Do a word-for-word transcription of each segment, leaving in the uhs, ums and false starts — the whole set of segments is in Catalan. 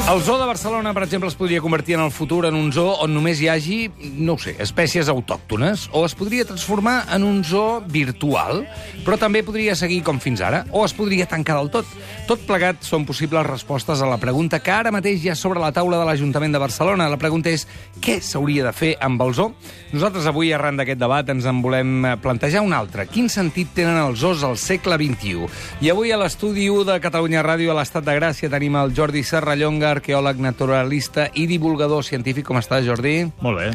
El zoo de Barcelona, per exemple, es podria convertir en el futur en un zoo on només hi hagi, no ho sé, espècies autòctones, o es podria transformar en un zoo virtual, però també podria seguir com fins ara, o es podria tancar del tot. Tot plegat són possibles respostes a la pregunta que ara mateix hi ha sobre la taula de l'Ajuntament de Barcelona. La pregunta és, què s'hauria de fer amb el zoo? Nosaltres avui, arran d'aquest debat, ens en volem plantejar un altre. Quin sentit tenen els zoos al segle vint-i-u? I avui a l'estudi u de Catalunya Ràdio, a l'Estat de Gràcia, tenim el Jordi Serrallonga, arqueòleg naturalista i divulgador científic. Com estàs, Jordi? Molt bé.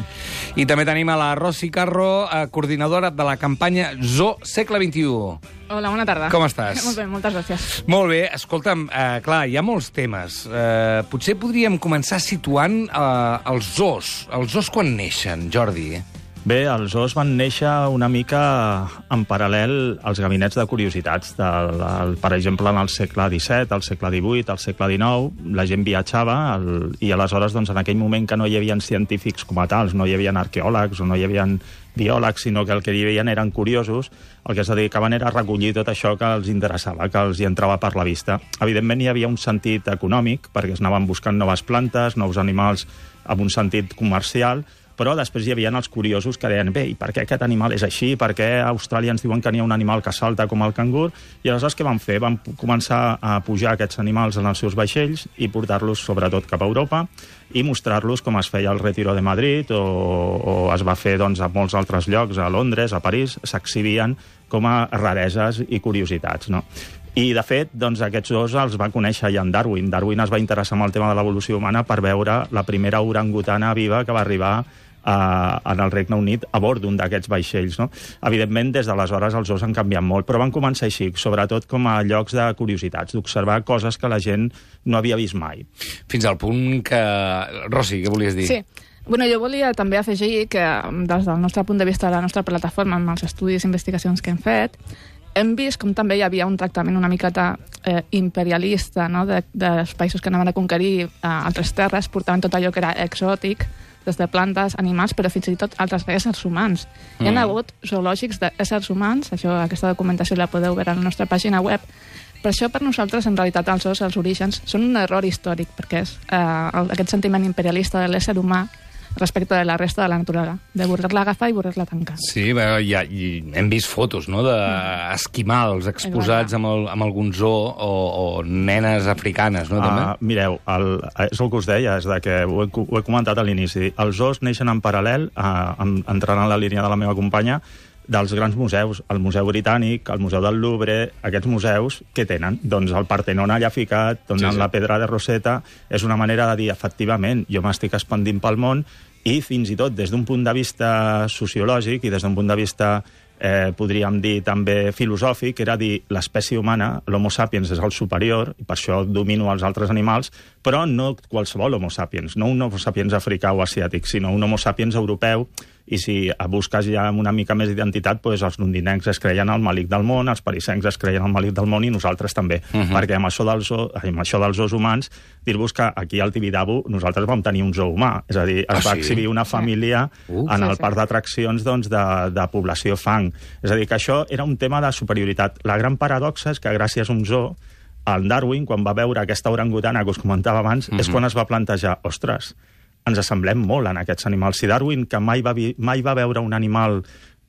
I també tenim a la Rosy Carro, coordinadora de la campanya Zoo Segle vint-i-u. Hola, bona tarda. Com estàs? Molt bé, moltes gràcies. Molt bé. Escolta'm, eh, clar, hi ha molts temes. Eh, potser podríem començar situant eh, els zoos. Els zoos quan neixen, Jordi? Bé, els zoos van néixer una mica en paral·lel als gabinets de curiositats. Del, el, per exemple, en el segle disset, al segle divuit, al segle dinou, la gent viatjava el, i aleshores, doncs, en aquell moment que no hi havia científics com a tals, no hi havia arqueòlegs o no hi havia biòlegs, sinó que el que hi havia eren curiosos, el que es dedicaven era a recollir tot això que els interessava, que els hi entrava per la vista. Evidentment, hi havia un sentit econòmic, perquè es anaven buscant noves plantes, nous animals, amb un sentit comercial, però després hi havia els curiosos que deien, bé, i per què aquest animal és així? Per què a Austràlia ens diuen que n'hi ha un animal que salta com el cangur? I aleshores què van fer? Van començar a pujar aquests animals en els seus vaixells i portar-los sobretot cap a Europa i mostrar-los com es feia el Retiro de Madrid o, o es va fer doncs, a molts altres llocs, a Londres, a París, s'exhibien com a rareses i curiositats, no? I, de fet, doncs, aquests dos els va conèixer ja en Darwin. Darwin es va interessar en el tema de l'evolució humana per veure la primera orangutana viva que va arribar a, en el Regne Unit a bord d'un d'aquests vaixells, no? Evidentment, des d'aleshores els zoos han canviat molt, però van començar així, sobretot com a llocs de curiositats, d'observar coses que la gent no havia vist mai. Fins al punt que... Rosy, què volies dir? Sí. Bueno, jo volia també afegir que, des del nostre punt de vista de la nostra plataforma, amb els estudis i investigacions que hem fet, hem vist com també hi havia un tractament una miqueta eh, imperialista, no?, de, dels països que anaven a conquerir eh, altres terres, portaven tot allò que era exòtic, des de plantes, animals, però fins i tot altres éssers humans. Mm. Hi ha hagut zoològics d'éssers humans, això, aquesta documentació la podeu veure a la nostra pàgina web. Per això, per nosaltres, en realitat, els zoos, els orígens, són un error històric, perquè és eh, aquest sentiment imperialista de l'ésser humà respecte de la resta de la naturalesa, de voler-la agafar i voler-la tancar. Sí, bé, ja, i hem vist fotos, no?, d'esquimals exposats amb, el, amb algun zoo o, o nenes africanes, no?, també? Uh, mireu, el, és el que us deia, és de que ho he, ho he comentat a l'inici. Els zoos neixen en paral·lel, uh, entrant en la línia de la meva companya, dels grans museus, el Museu Britànic, el Museu del Louvre, aquests museus, què tenen? Doncs el Partenon allà ficat, doncs sí, sí. La Pedra de Rosetta, és una manera de dir, efectivament, jo m'estic expandint pel món, i fins i tot des d'un punt de vista sociològic i des d'un punt de vista, eh, podríem dir, també filosòfic, era dir, l'espècie humana, l'Homo sapiens és el superior, i per això domino els altres animals, però no qualsevol Homo sapiens, no un Homo sapiens africà o asiàtic, sinó un Homo sapiens europeu, i si busques ja una mica més d'identitat, doncs els londinencs es creien el malic del món, els parisencs es creien el malic del món i nosaltres també. Uh -huh. Perquè amb això, dels, amb això dels zoos humans, dir-vos que aquí al Tibidabo nosaltres vam tenir un zoo humà. És a dir, es ah, va sí? exhibir una família uh, en sí, el sí. parc d'atraccions doncs, de, de població fang. És a dir, que això era un tema de superioritat. La gran paradoxa és que gràcies a un zoo, el Darwin, quan va veure aquesta orangutana que us comentava abans, uh -huh. és quan es va plantejar, ostres, ens assemblem molt en aquests animals. Si Darwin, que mai va, vi, mai va veure un animal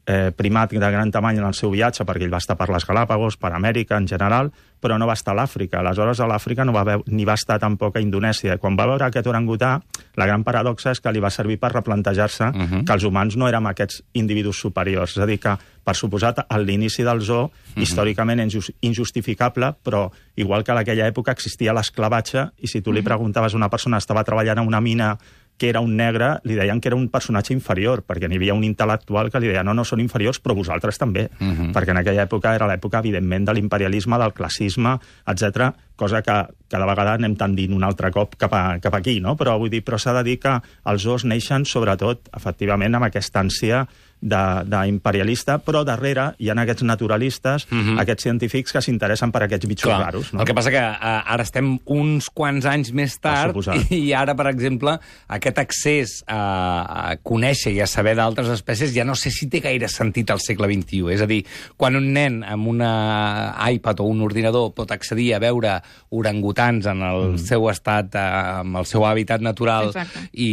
eh, primat de gran tamany en el seu viatge, perquè ell va estar per les Galàpagos, per Amèrica en general, però no va estar a l'Àfrica. Aleshores, a l'Àfrica no va veure, ni va estar tampoc a Indonèsia. Quan va veure aquest orangutà, la gran paradoxa és que li va servir per replantejar-se uh -huh. que els humans no érem aquests individus superiors. És a dir, que, per suposat, a l'inici del zoo, uh -huh. històricament és injustificable, però igual que en aquella època existia l'esclavatge, i si tu li preguntaves a una persona que estava treballant en una mina que era un negre, li deien que era un personatge inferior, perquè n'hi havia un intel·lectual que li deia no, no, són inferiors, però vosaltres també. Uh -huh. Perquè en aquella època era l'època, evidentment, de l'imperialisme, del classisme, etcètera, cosa que cada vegada anem tendint un altre cop cap, a, cap aquí, no? Però vull dir, però s'ha de dir que els zoos neixen, sobretot, efectivament, amb aquesta ànsia d'imperialista, però darrere hi ha aquests naturalistes, uh -huh. aquests científics que s'interessen per aquests bitxos Clar, raros. No? El que passa que uh, ara estem uns quants anys més tard i ara, per exemple, aquest accés a, a conèixer i a saber d'altres espècies ja no sé si té gaire sentit al segle vint-i-u. És a dir, quan un nen amb una iPad o un ordinador pot accedir a veure orangutans en el mm. seu estat, eh, amb el seu hàbitat natural. Exacte. I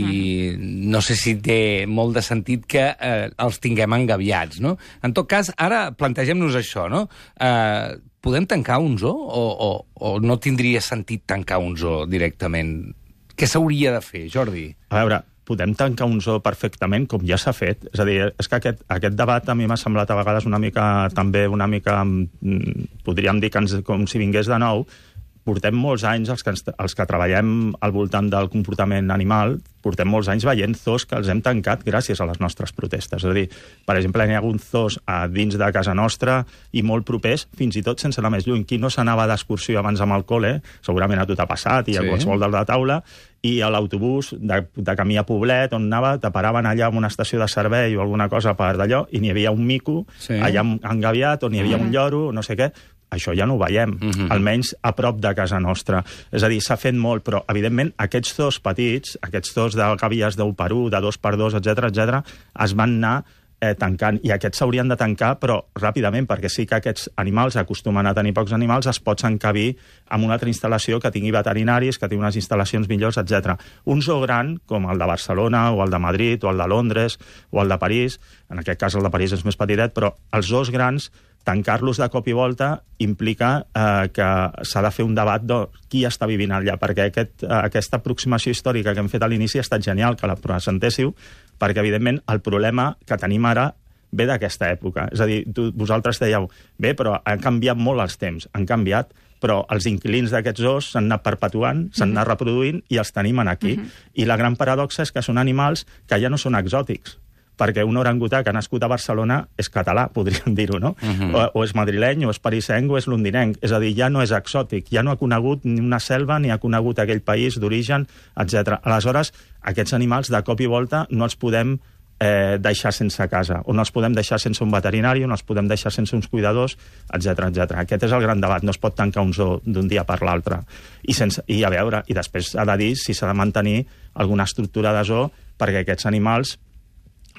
mm. no sé si té molt de sentit que eh, els tinguem engabiats, no? En tot cas, ara plantegem-nos això, no? Eh, podem tancar un zoo o, o, o no tindria sentit tancar un zoo directament? Què s'hauria de fer, Jordi? A veure, podem tancar un zoo perfectament, com ja s'ha fet. És a dir, és que aquest, aquest debat a mi m'ha semblat a vegades una mica, també una mica, podríem dir que ens, com si vingués de nou. Portem molts anys, els que, els que treballem al voltant del comportament animal, portem molts anys veient zoos que els hem tancat gràcies a les nostres protestes. És a dir, per exemple, n'hi ha hagut zoos a dins de casa nostra i molt propers, fins i tot sense anar més lluny. Qui no s'anava d'excursió abans amb el col·le, segurament a tu t'ha passat, i a sí. qualsevol de la taula, i a l'autobús de, de camí a Poblet, on anava, te paraven allà en una estació de servei o alguna cosa per d'allò, i n'hi havia un mico sí. allà engabiat, on hi havia mm. un lloro, no sé què. Això ja no ho veiem, mm-hmm. almenys a prop de casa nostra. És a dir, s'ha fet molt, però, evidentment, aquests dos petits, aquests dos de gàbies d'un per un, de dos per dos, etcètera, etcètera, es van anar eh, tancant. I aquests s'haurien de tancar, però ràpidament, perquè sí que aquests animals acostumen a tenir pocs animals, es pots encabir amb una altra instal·lació que tingui veterinaris, que tingui unes instal·lacions millors, etcètera. Un zoo gran, com el de Barcelona, o el de Madrid, o el de Londres, o el de París, en aquest cas el de París és més petitet, però els zoos grans, tancar-los de cop i volta implica eh, que s'ha de fer un debat de qui està vivint allà, perquè aquest, eh, aquesta aproximació històrica que hem fet a l'inici ha estat genial que la presentéssiu, perquè, evidentment, el problema que tenim ara ve d'aquesta època. És a dir, tu, vosaltres dèieu, bé, però han canviat molt els temps, han canviat, però els inquilins d'aquests zoos s'han anat perpetuant, s'han anat reproduint i els tenim aquí. Uh-huh. I la gran paradoxa és que són animals que ja no són exòtics, perquè un orangutà que ha nascut a Barcelona és català, podríem dir-ho, no? Uh-huh. o, o és madrileny, o és parisenc, o és londinenc. És a dir, ja no és exòtic, ja no ha conegut ni una selva, ni ha conegut aquell país d'origen, etcètera. Aleshores, aquests animals, de cop i volta, no els podem eh, deixar sense casa, o no els podem deixar sense un veterinari, o no els podem deixar sense uns cuidadors, etcètera, etcètera. Aquest és el gran debat, no es pot tancar un zoo d'un dia per l'altre. I, sense, I a veure, i després ha de dir si s'ha de mantenir alguna estructura de zoo perquè aquests animals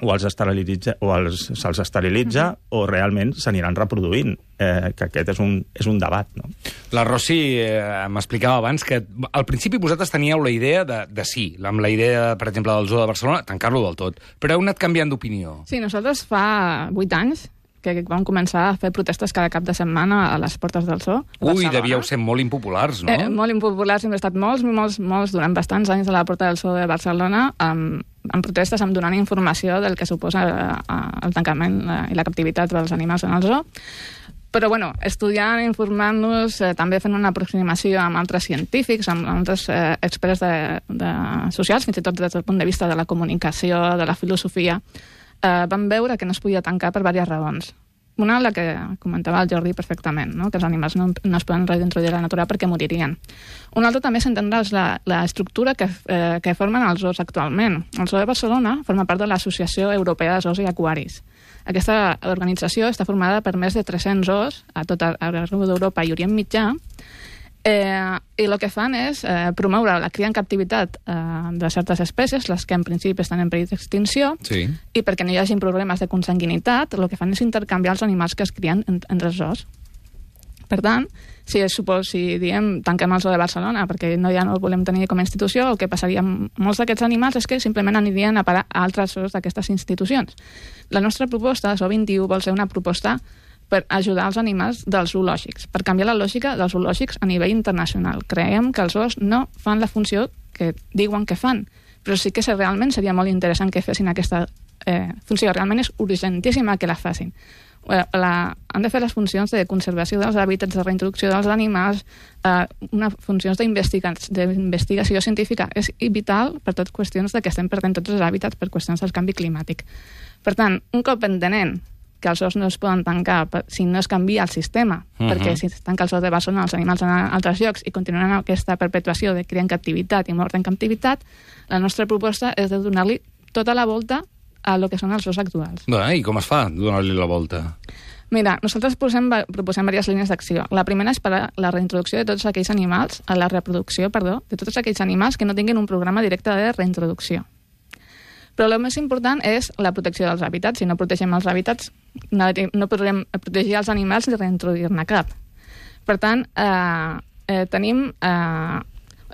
o els esterilitza, o els, se'ls esterilitza, uh-huh. o realment s'aniran reproduint, eh, que aquest és un, és un debat, no? La Rosy eh, m'explicava abans que al principi vosaltres teníeu la idea de, de sí, amb la idea, per exemple, del zoo de Barcelona, tancar-lo del tot, però heu anat canviant d'opinió. Sí, nosaltres fa vuit anys que vam començar a fer protestes cada cap de setmana a les portes del zoo. Ui, devíeu ser molt impopulars, no? Eh, molt impopulars, hem estat molts, molts, molts, durant bastants anys a la porta del zoo de Barcelona, amb, amb protestes, amb donant informació del que suposa eh, el tancament eh, i la captivitat dels animals en el zoo. Però, bueno, estudiant, informant-nos, eh, també fent una aproximació amb altres científics, amb altres eh, experts de, de socials, fins i tot des del punt de vista de la comunicació, de la filosofia, eh, vam veure que no es podia tancar per diverses raons. Una, la que comentava el Jordi perfectament, no? Que els animals no, no es poden reintroduir a la natura perquè moririen. Una altra també s'entendrà la, la estructura que, eh, que formen els zoos actualment. El Zoo de Barcelona forma part de l'Associació Europea de Zoos i Aquaris. Aquesta organització està formada per més de tres-cents zoos a tot arreu d'Europa i Orient Mitjà, Eh, i el que fan és eh, promoure la cria en captivitat eh, de certes espècies, les que en principi estan en perill d'extinció, sí. i perquè no hi hagi problemes de consanguinitat, el que fan és intercanviar els animals que es crien en, entre els zoos. Per tant, si, supos, si diem tanquem el zoo de Barcelona perquè no, ja no el volem tenir com a institució, el que passaria amb molts d'aquests animals és que simplement anirien a parar a altres zoos d'aquestes institucions. La nostra proposta, Zoo vint-i-u, vol ser una proposta per ajudar els animals dels zoològics, per canviar la lògica dels zoològics a nivell internacional. Creiem que els zoos no fan la funció que diuen que fan, però sí que realment seria molt interessant que fessin aquesta eh, funció. Realment és urgentíssima que la facin. La, han de fer les funcions de conservació dels hàbitats, de reintroducció dels animals, eh, una funcions d'investigació científica. És vital per totes qüestions de que estem perdent tots els hàbitats per qüestions del canvi climàtic. Per tant, un cop entenent que els zoos no es poden tancar si no es canvia el sistema, uh-huh. perquè si es tanca el zoo de Barcelona, els animals van a altres llocs i continuen aquesta perpetuació de cria en captivitat i mort en captivitat, la nostra proposta és de donar-li tota la volta a lo que són els zoos actuals. Bé, i com es fa, donar-li la volta? Mira, nosaltres posem, proposem diverses línies d'acció. La primera és per a la reintroducció de tots aquells animals, a la reproducció, perdó, de tots aquells animals que no tinguin un programa directe de reintroducció. Però el més important és la protecció dels hàbitats. Si no protegem els hàbitats, no, no podrem protegir els animals ni reintroduir-ne cap. Per tant, eh, eh, tenim... Eh,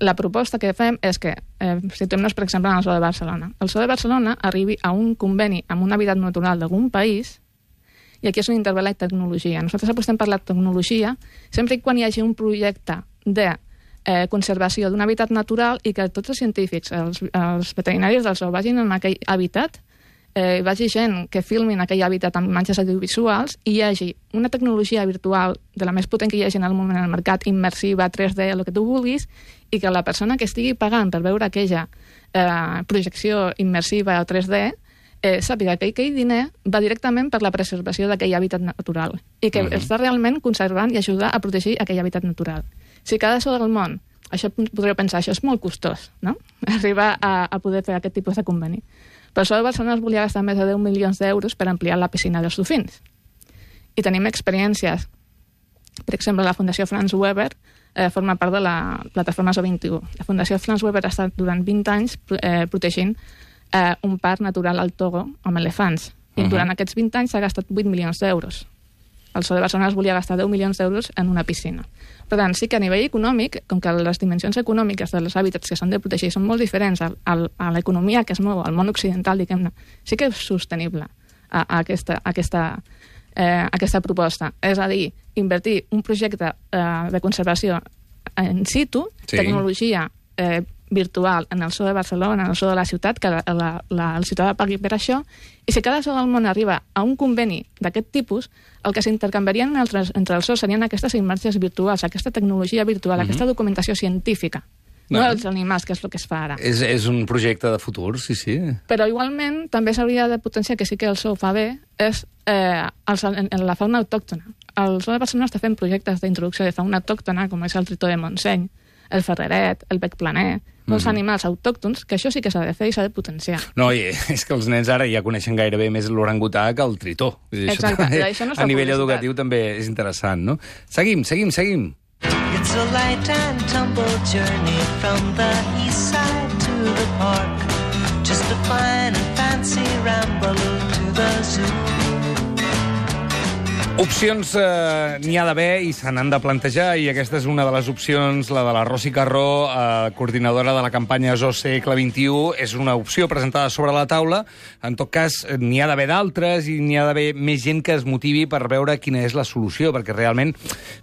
la proposta que fem és que, eh, situem-nos, per exemple, en el Zoo de Barcelona. El Zoo de Barcelona arribi a un conveni amb un hàbitat natural d'algun país, i aquí és on intervé la tecnologia. Nosaltres apostem per la tecnologia sempre i quan hi hagi un projecte de eh, conservació d'un hàbitat natural i que tots els científics, els, els veterinaris del zoo, vagin en aquell hàbitat, eh, vagi gent que filmin aquell hàbitat amb imatges audiovisuals i hi hagi una tecnologia virtual de la més potent que hi hagi en el moment al mercat, immersiva, tres D, el que tu vulguis, i que la persona que estigui pagant per veure aquella eh, projecció immersiva o tres D eh, sàpiga que aquell diner va directament per la preservació d'aquell hàbitat natural i que uh-huh. està realment conservant i ajudar a protegir aquell hàbitat natural. Si cada zoo del món, això podríeu pensar, això és molt costós, no? Arribar a, a poder fer aquest tipus de conveni. Per això Barcelona es volia gastar més de deu milions d'euros per ampliar la piscina dels dofins. I tenim experiències. Per exemple, la Fundació Franz Weber eh, forma part de la plataforma Zoo vint i u. La Fundació Franz Weber ha estat durant vint anys eh, protegint eh, un parc natural al Togo amb elefants. I uh-huh. durant aquests vint anys s'ha gastat vuit milions d'euros. El Zoo de Barcelona es volia gastar deu milions d'euros en una piscina. Per tant, sí que a nivell econòmic, com que les dimensions econòmiques dels hàbitats que s'han de protegir són molt diferents a, a, a l'economia que es mou al món occidental, diguem-ne, sí que és sostenible a, a, aquesta, a aquesta, eh, aquesta proposta. És a dir, invertir un projecte eh, de conservació in situ, sí. tecnologia eh, virtual en el zoo de Barcelona, en el zoo de la ciutat, que la, la, la, el ciutadà pagui per això, i si cada zoo del món arriba a un conveni d'aquest tipus, el que s'intercanviarien entre, entre els zoos serien aquestes imatges virtuals, aquesta tecnologia virtual, uh-huh. aquesta documentació científica, no, no els animals, que és el que es fa ara. És, és un projecte de futur, sí, sí. Però igualment també s'hauria de potenciar, que sí que el zoo fa bé, és eh, els, en, en la fauna autòctona. El zoo de Barcelona està fent projectes d'introducció de fauna autòctona, com és el tritó de Montseny, el ferreret, el bec planer, molts mm-hmm. animals autòctons, que això sí que s'ha de fer i s'ha de potenciar. No, i és que els nens ara ja coneixen gairebé més l'orangutà que el tritó. Exacte, això, això no és a nivell publicitat. Educatiu també és interessant, no? Seguim, seguim, seguim. It's a light and tumble journey from the east side to the park. Just a fine and fancy ramble to the zoo. Opcions eh, n'hi ha d'haver i se n'han de plantejar, i aquesta és una de les opcions, la de la Rosi Carró, eh, coordinadora de la campanya Zoo Segle vint i u. És una opció presentada sobre la taula. En tot cas, n'hi ha d'haver d'altres i n'hi ha d'haver més gent que es motivi per veure quina és la solució, perquè realment,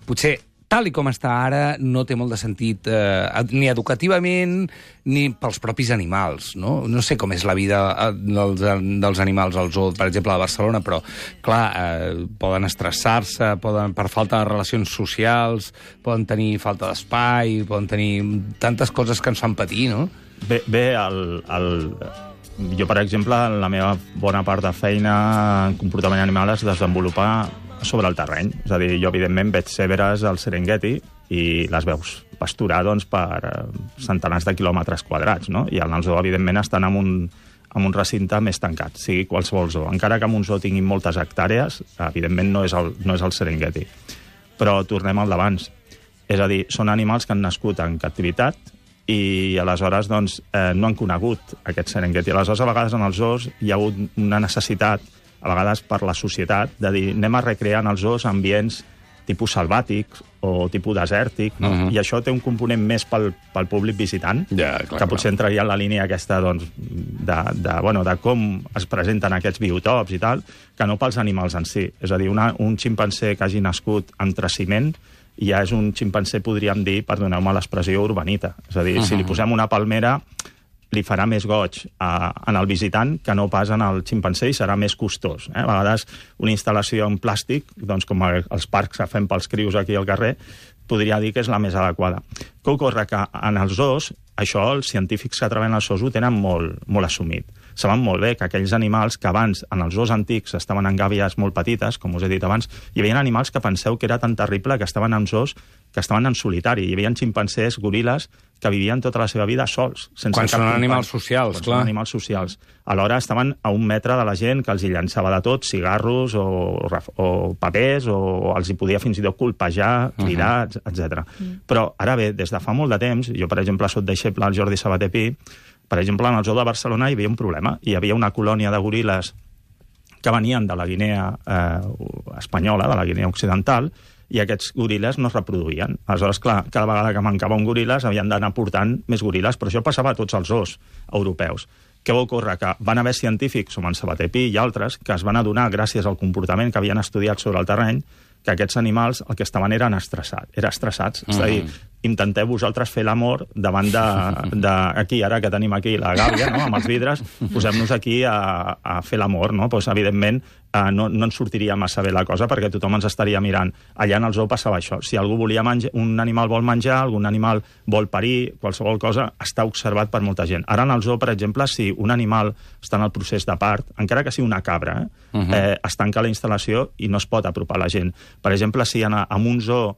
potser, tal i com està ara, no té molt de sentit eh, ni educativament ni pels propis animals, no? No sé com és la vida dels, dels animals al zoo, per exemple, a Barcelona, però, clar, eh, poden estressar-se, poden, per falta de relacions socials, poden tenir falta d'espai, poden tenir tantes coses que ens fan patir, no? Bé, bé el, el... jo, per exemple, la meva bona part de feina en comportament animal es desenvolupa sobre el terreny. És a dir, jo, evidentment, veig zebres al Serengeti i les veus pasturar, doncs, per centenars de quilòmetres quadrats, no? I en el zoo, evidentment, estan en un, en un recinte més tancat, sigui qualsevol zoo. Encara que en un zoo tinguin moltes hectàrees, evidentment no és el, no és el Serengeti. Però tornem al d'abans. És a dir, són animals que han nascut en captivitat i aleshores doncs, eh, no han conegut aquest Serengeti. Aleshores, a vegades en els zoos hi ha hagut una necessitat, a vegades per la societat, de dir, anem a recrear en els zoos ambients tipus selvàtics o tipus desèrtic, no? Uh-huh. I això té un component més pel, pel públic visitant, ja, clar, que potser clar. entraria en la línia aquesta, doncs, de, de, bueno, de com es presenten aquests biotops i tal, que no pels animals en si. És a dir, una, un ximpanzé que hagi nascut entre ciment ja és un ximpanzé, podríem dir, perdoneu-me l'expressió, urbanita. És a dir, uh-huh. si li posem una palmera, li farà més goig a, en el visitant que no pas en el ximpanzé i serà més costós. Eh? A vegades una instal·lació en plàstic, doncs com els parcs que fem pels crios aquí al carrer, podria dir que és la més adequada. Què ocorre? Que en els zoos, això els científics que treballen als zoos ho tenen molt, molt assumit. Saben molt bé que aquells animals que abans, en els zoos antics, estaven en gàbies molt petites, com us he dit abans, hi havia animals que penseu que era tan terrible que estaven en zoos que estaven en solitari. Hi havia ximpanzés, goril·les, que vivien tota la seva vida sols. Sense Quan cap són company. animals socials, Quan clar. Són animals socials. Alhora estaven a un metre de la gent que els hi llançava de tot, cigarros o, o papers, o els hi podia fins i tot colpejar, cridar, uh-huh. etcètera. Uh-huh. Però ara bé, des de fa molt de temps, jo per exemple soc deixeble al Jordi Sabater Pi, per exemple en el zoo de Barcelona hi havia un problema. Hi havia una colònia de goril·les que venien de la Guinea eh, espanyola, de la Guinea occidental, i aquests goril·les no es reproduïen. Aleshores, clar, cada vegada que mancava un goril·les havien d'anar portant més goril·les, però això passava a tots els zoos europeus. Què va ocórrer? Que van haver científics, com en Sabater Pi i altres, que es van adonar, gràcies al comportament que havien estudiat sobre el terreny, que aquests animals el que estaven eren estressats. Eren estressats. Mm. És a dir, intenteu vosaltres fer l'amor davant de, de... Aquí, ara que tenim aquí la gàbia, no?, amb els vidres, posem-nos aquí a, a fer l'amor, no? Pues, evidentment, eh, no, no ens sortiria massa bé la cosa perquè tothom ens estaria mirant. Allà en el zoo passava això. Si algú volia menjar, un animal vol menjar, algun animal vol parir, qualsevol cosa, està observat per molta gent. Ara en el zoo, per exemple, si un animal està en el procés de part, encara que sigui una cabra, eh, uh -huh. eh, es tanca la instal·lació i no es pot apropar la gent. Per exemple, si en, en un zoo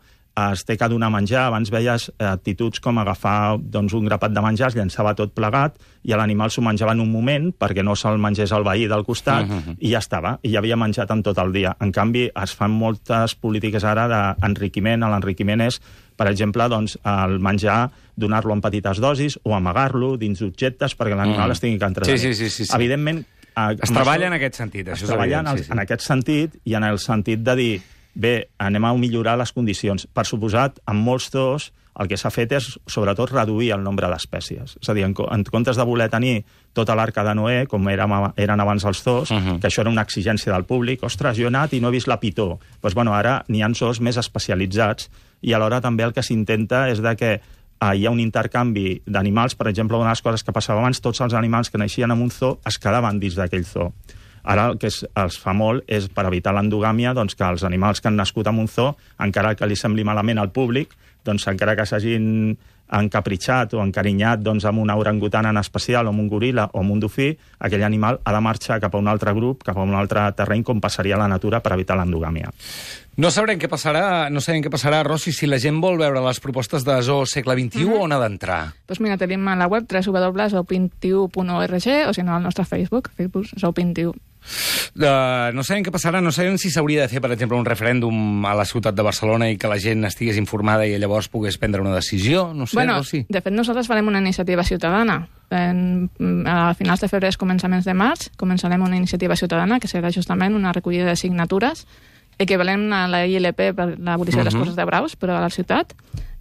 es té que donar menjar, abans veies actituds com agafar doncs, un grapat de menjar, es llançava tot plegat i l'animal s'ho menjava en un moment perquè no se'l mengés el veí del costat, uh -huh. i ja estava, i ja havia menjat en tot el dia. En canvi, es fan moltes polítiques ara d'enriquiment. L'enriquiment és, per exemple, doncs, el menjar, donar-lo en petites dosis o amagar-lo dins d'objectes perquè l'animal uh -huh. es tingui que entretenir. Sí, sí, sí, sí. Evidentment... Es treballa en aquest sentit, això és evident. Es treballa en aquest sentit i en el sentit de dir bé, anem a millorar les condicions. Per suposat, en molts zoos el que s'ha fet és, sobretot, reduir el nombre d'espècies. És a dir, en, en comptes de voler tenir tota l'arca de Noé, com eren, eren abans els zoos, uh -huh. que això era una exigència del públic, ostres, jo he anat i no he vist la pitó. Doncs, bueno, ara n'hi ha zoos més especialitzats i alhora també el que s'intenta és de que Uh, hi ha un intercanvi d'animals. Per exemple, una de les coses que passava abans, tots els animals que naixien en un zoo es quedaven dins d'aquell zoo. Ara el que es, es fa molt és, per evitar l'endogàmia, doncs, que els animals que han nascut en un zoo, encara que li sembli malament al públic, doncs, encara que s'hagin encapritxat o encarinyat doncs, amb una orangutana en especial, o amb un goril·la o amb un dofí, aquell animal ha de marxar cap a un altre grup, cap a un altre terreny, com passaria a la natura per evitar l'endogàmia. No sabrem què passarà, no sabem què passarà, Rossi, si la gent vol veure les propostes de Zoo Segle vint i u, mm-hmm. on ha d'entrar? Doncs mira, tenim a la web w w w punt zoo vint i u punt org o si no al nostre Facebook, Facebook Zoo vint i u. Uh, no sabem què passarà, no sabem si s'hauria de fer, per exemple, un referèndum a la ciutat de Barcelona i que la gent estigués informada i llavors pogués prendre una decisió, no sé, bueno, Rossi. De fet, nosaltres farem una iniciativa ciutadana. En, a finals de febrer, començaments de març, començarem una iniciativa ciutadana que serà justament una recollida de signatures equivalent a la I L P per l'abolició uh -huh. de les coses de braus, però a la ciutat,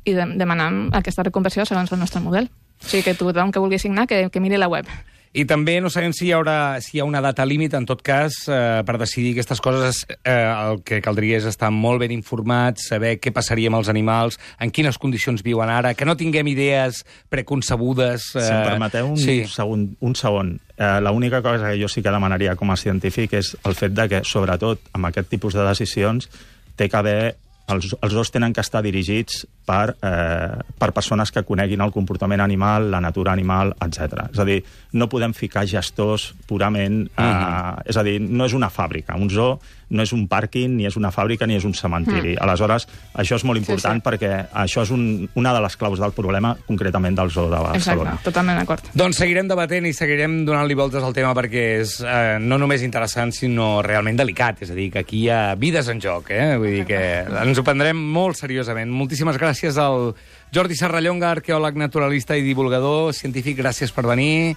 i de, demanant aquesta reconversió segons el nostre model. O sigui que tothom que vulgui signar, que, que miri la web. I també no sabem si hi haurà si hi ha una data límit, en tot cas, eh, per decidir aquestes coses. Eh, el que caldria és estar molt ben informats, saber què passaria amb els animals, en quines condicions viuen ara, que no tinguem idees preconcebudes. Eh, si em permeteu un, sí. segon, un segon. Eh, L'única cosa que jo sí que demanaria com a científic és el fet de que, sobretot, amb aquest tipus de decisions, té que haver... Els, els dos tenen que estar dirigits per, eh, per persones que coneguin el comportament animal, la natura animal, etcètera. És a dir, no podem ficar gestors purament... Eh, mm. És a dir, no és una fàbrica. Un zoo no és un pàrquing, ni és una fàbrica, ni és un cementiri. Mm. Aleshores, això és molt important sí, sí. perquè això és un, una de les claus del problema, concretament del zoo de Barcelona. Exacte, totalment d'acord. Doncs seguirem debatent i seguirem donant-li voltes al tema perquè és eh, no només interessant, sinó realment delicat. És a dir, que aquí hi ha vides en joc, eh? Vull dir que ens ho prendrem molt seriosament. Moltíssimes gràcies al Jordi Serrallonga, arqueòleg, naturalista i divulgador científic. Gràcies per venir.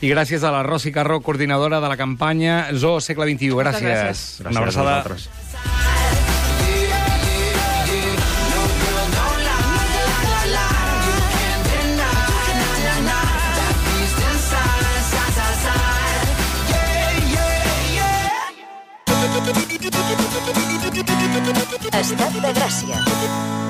I gràcies a la Rossi Carró, coordinadora de la campanya Zoo Segle vint i u. Gràcies. Gràcies. Una abraçada. Gràcies Estat de Gràcia.